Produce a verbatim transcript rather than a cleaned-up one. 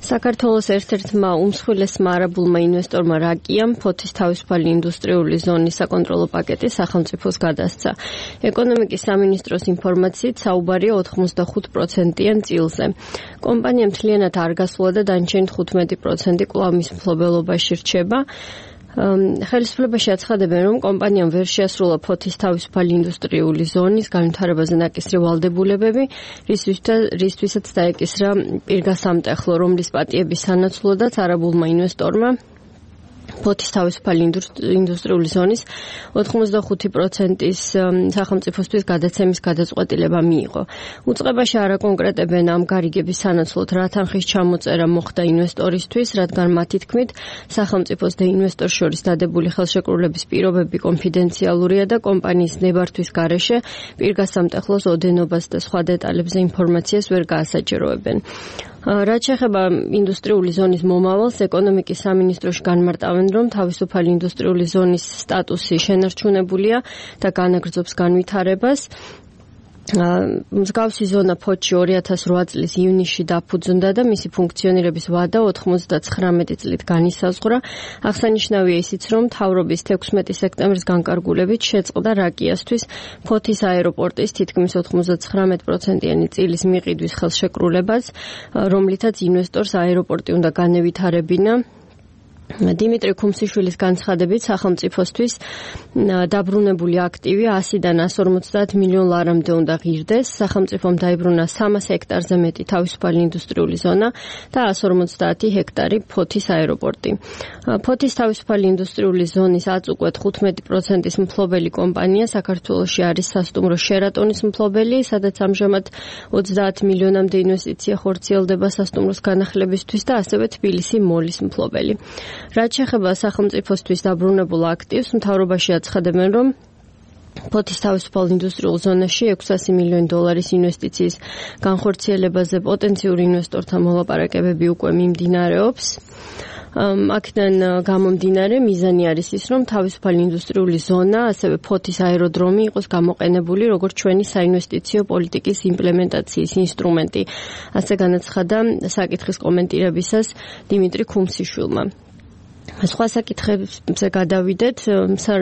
საქართველოს ერთ-ერთმა უმსხვილესმა არაბულმა ინვესტორმა რაკიამ ფოთის თავისუფალი ინდუსტრიული ზონის საკონტროლო პაკეტი სახელმწიფოს გადასცა. ეკონომიკის სამინისტროს ინფორმაციით საუბარია ოთხმოცდახუთ პროცენტიან წილზე. კომპანია მთლიანად არ გასულა და დანარჩენი თხუთმეტი პროცენტი კვლავ მის მფლობელობაში რჩება. ხელისუფლებაში აცხადებენ, რომ კომპანიამ ვერ შეასრულა ფოთის თავისუფალი ინდუსტრიული ზონის განვითარებაზე ნაკისრი ვალდებულებები, რისთვისაც დაეკისრა პირგასამტეხლო, რომლის პატიების სანაცვლოდაც არაბულმა ინვესტორმა ფოთის თავისუფალი ინდუსტრიული ზონის ოთხმოცდახუთი პროცენტის სახელმწიფოსთვის გადაცემის გადაწყვეტილება მიიღო. უწყებაში არაკონკრეტებენ ამ გარიგების სანაცვლოდ რა თანხის ჩამოწერა მოხდა ინვესტორისთვის, რადგან მათი თქმით, სახელმწიფოს და ინვესტორს შორის დადებული ხელშეკრულების პირობები კონფიდენციალურია და კომპანიის ნებართვის გარეშე პირგასამტეხლოს ოდენობას და სხვა დეტალებზე ინფორმაციას ვერ გაასაჭიროებენ. რაც შეეხება ინდუსტრიული ზონის მომავალს, ეკონომიკის სამინისტროში განმარტავენ, რომ თავისუფალი ინდუსტრიული ზონის სტატუსი შენარჩუნებულია და განაგრძობს განვითარებას. მსგავსი ზონა ფოთში ორი ათას რვა წლის ივნისში დაფუძნდა და მისი ფუნქციონირების ვადა ოთხმოცდაცხრამეტი წლით განისაზღვრა. აღსანიშნავია ისიც, რომ მთავრობის თექვსმეტი სექტემბრის განკარგულებით შეწყდა რაკიასთვის ფოთის აეროპორტის თითქმის ოთხმოცდაცხრამეტი პროცენტიანი წილის მიყიდვის ხელშეკრულებას, რომლითაც ინვესტორს აეროპორტი უნდა განევითარებინა. დიმიტრი ქუმსიშვილის განცხადებით, სახელმწიფოსთვის დაბრუნებული აქტივი ასიდან ასს ორმოცდაათ მილიონ ლარამდე უნდა ღირდეს. სახელმწიფომ დაიბრუნა სამას ჰექტარზე მეტი თავისუფალი ინდუსტრიული ზონა და ასს ორმოცდაათი ჰექტარი ფოთის აეროპორტი. ფოთის თავისუფალი ინდუსტრიული ზონის აწ უკვე თხუთმეტი პროცენტის მფლობელი კომპანია საქართველოში არის სასტუმრო შერატონის მფლობელი, სადაც ამჟამად ოცდაათ მილიონამდე ინვესტიცია ხორციელდება სასტუმროს განახლებისთვის და ასევე თბილისი მოლის მფლობელი. რაც შეეხება სახელმწიფოსთვის დაბრუნებულ აქტივს, მთავრობაში აცხადებენ, რომ ფოთის თავისუფალ ინდუსტრიულ ზონაში ექვსასი მილიონი დოლარის ინვესტიციის განხორციელებაზე პოტენციურ ინვესტორთა მოლაპარაკებები უკვე მიმდინარეობს. აქედან გამომდინარე მიზანი არის ის, რომ თავისუფალი ინდუსტრიული ზონა, ასევე ფოთის აეროდრომი იყოს გამოყენებული როგორც ჩვენი საინვესტიციო პოლიტიკის იმპლემენტაციის ინსტრუმენტი. ასე განაცხადა საკითხის კომენტირებისას დიმიტრი ქუმსიშვილმა. სხვა საკითხებზე გადავიდეთ.